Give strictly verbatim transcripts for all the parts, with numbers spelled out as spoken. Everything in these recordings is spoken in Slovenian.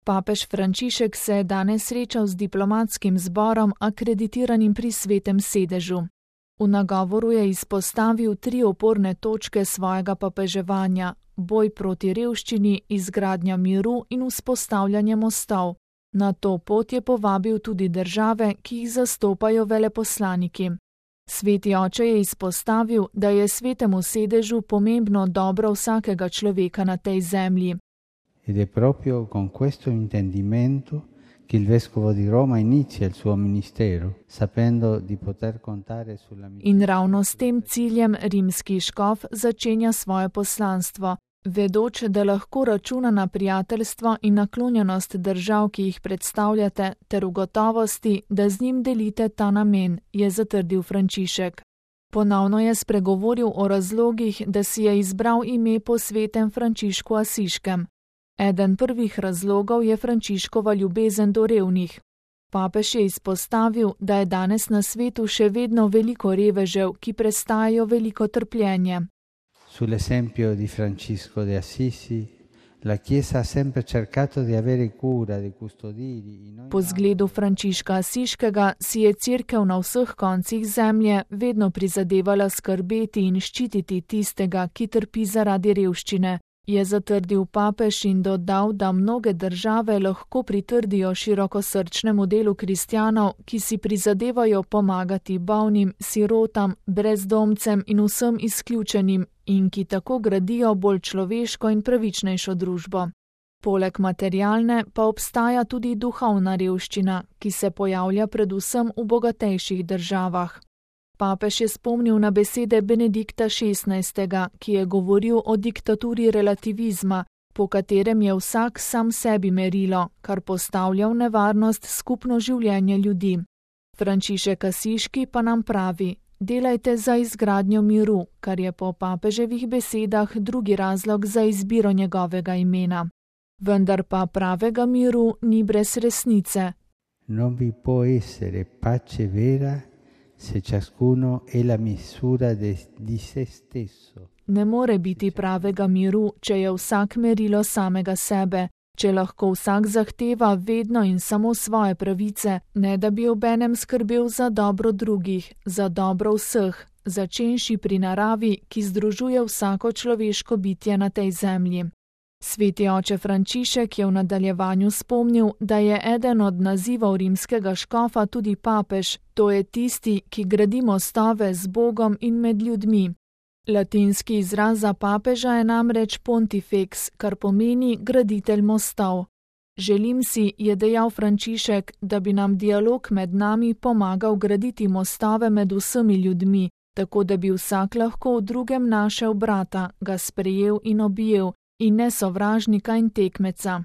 Papež Frančišek se je danes srečal z diplomatskim zborom akreditiranim pri Svetem sedežu. V nagovoru je izpostavil tri oporne točke svojega papeževanja: boj proti revščini, izgradnja miru in vzpostavljanje mostov. Na to pot je povabil tudi države, ki jih zastopajo veleposlaniki. Sveti oče je izpostavil, da je Svetemu sedežu pomembno dobro vsakega človeka na tej zemlji. Ed è proprio con questo intendimento che il vescovo di Roma inizia il suo ministero, sapendo di poter contare sulla In ravno s tem ciljem rimski škof začenja svoje poslanstvo, vedoč, da lahko računa na prijateljstvo in naklonjenost držav, ki jih predstavljate, ter v gotovosti, da z njim delite ta namen, je zatrdil Frančišek. Ponovno je spregovoril o razlogih, da si je izbral ime po svetem Frančišku Asiškem. Eden prvih razlogov je Frančiškova ljubezen do revnih. Papež je izpostavil, da je danes na svetu še vedno veliko revežev, ki prestajajo veliko trpljenje. Sull'esempio di Francesco de Assisi, la Chiesa ha sempre cercato di avere cura, di custodirli. Po zgledu Frančiška Asiškega si je Cerkev na vseh koncih zemlje vedno prizadevala skrbeti in ščititi tistega, ki trpi zaradi revščine, je zatrdil papež in dodal, da mnoge države lahko pritrdijo širokosrčnemu delu kristjanov, ki si prizadevajo pomagati bolnim, sirotam, brezdomcem in vsem izključenim in ki tako gradijo bolj človeško in pravičnejšo družbo. Poleg materialne pa obstaja tudi duhovna revščina, ki se pojavlja predvsem v bogatejših državah. Papež je spomnil na besede Benedikta šestnajstega, ki je govoril o diktaturi relativizma, po katerem je vsak sam sebi merilo, kar postavlja v nevarnost skupno življenje ljudi. Frančišek Asiški pa nam pravi: delajte za izgradnjo miru, kar je po papeževih besedah drugi razlog za izbiro njegovega imena. Vendar pa pravega miru ni brez resnice. Non vi può essere pace vera se ciascuno è la misura de, di se stesso. Ne more biti pravega miru, če je vsak merilo samega sebe, če lahko vsak zahteva vedno in samo svoje pravice, ne da bi obenem skrbel za dobro drugih, za dobro vseh, začenši pri naravi, ki združuje vsako človeško bitje na tej zemlji. Sveti oče Frančišek je v nadaljevanju spomnil, da je eden od nazivov rimskega škofa tudi papež, to je tisti, ki gradi mostove z Bogom in med ljudmi. Latinski izraz za papeža je namreč pontifex, kar pomeni graditelj mostov. Želim si, je dejal Frančišek, da bi nam dialog med nami pomagal graditi mostove med vsemi ljudmi, tako da bi vsak lahko v drugem našel brata, ga sprejel in objel, in ne sovražnika in tekmeca.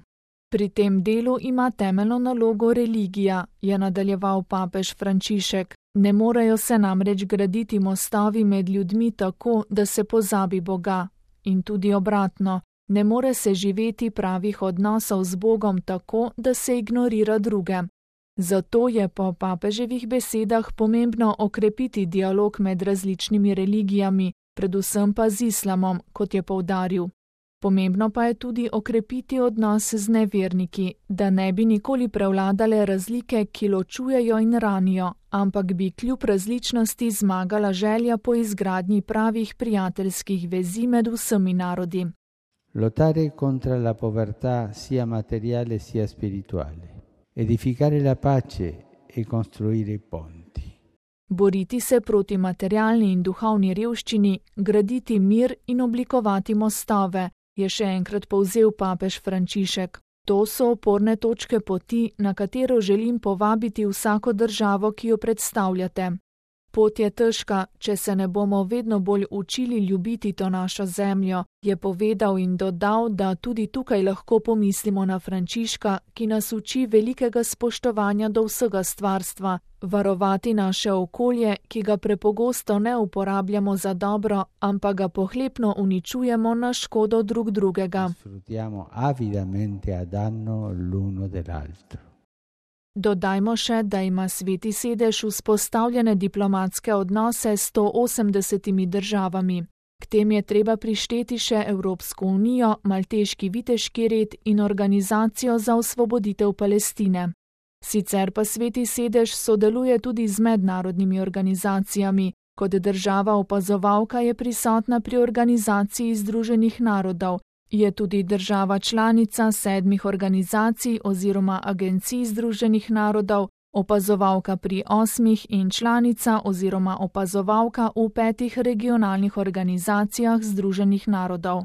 Pri tem delu ima temeljno nalogo religija, je nadaljeval papež Frančišek. Ne morejo se namreč graditi mostovi med ljudmi tako, da se pozabi Boga. In tudi obratno, ne more se živeti pravih odnosov z Bogom tako, da se ignorira druge. Zato je po papeževih besedah pomembno okrepiti dialog med različnimi religijami, predvsem pa z islamom, kot je poudaril. Pomembno pa je tudi okrepiti odnos z neverniki, da ne bi nikoli prevladale razlike, ki ločujejo in ranijo, ampak bi kljub različnosti zmagala želja po izgradnji pravih prijateljskih vezi med vsemi narodi. Lottare contro la povertà sia materiale sia spirituale. Edificare la pace e costruire ponti. Boriti se proti materialni in duhovni revščini, graditi mir in oblikovati mostove, je še enkrat povzel papež Frančišek. To so oporne točke poti, na katero želim povabiti vsako državo, ki jo predstavljate. Pot je težka, če se ne bomo vedno bolj učili ljubiti to našo zemljo, je povedal in dodal, da tudi tukaj lahko pomislimo na Frančiška, ki nas uči velikega spoštovanja do vsega stvarstva, varovati naše okolje, ki ga prepogosto ne uporabljamo za dobro, ampak ga pohlepno uničujemo na škodo drug drugega. Sfruttiamo avidamente a danno l'uno dell'altro. Dodajmo še, da ima Sveti sedež vzpostavljene diplomatske odnose s sto osemdesetimi državami. K tem je treba prišteti še Evropsko unijo, Malteški viteški red in Organizacijo za osvoboditev Palestine. Sicer pa Sveti sedež sodeluje tudi z mednarodnimi organizacijami. Kot država opazovalka je prisotna pri Organizaciji združenih narodov, je tudi država članica sedmih organizacij oziroma agencij Združenih narodov, opazovalka pri osmih in članica oziroma opazovalka v petih regionalnih organizacijah Združenih narodov.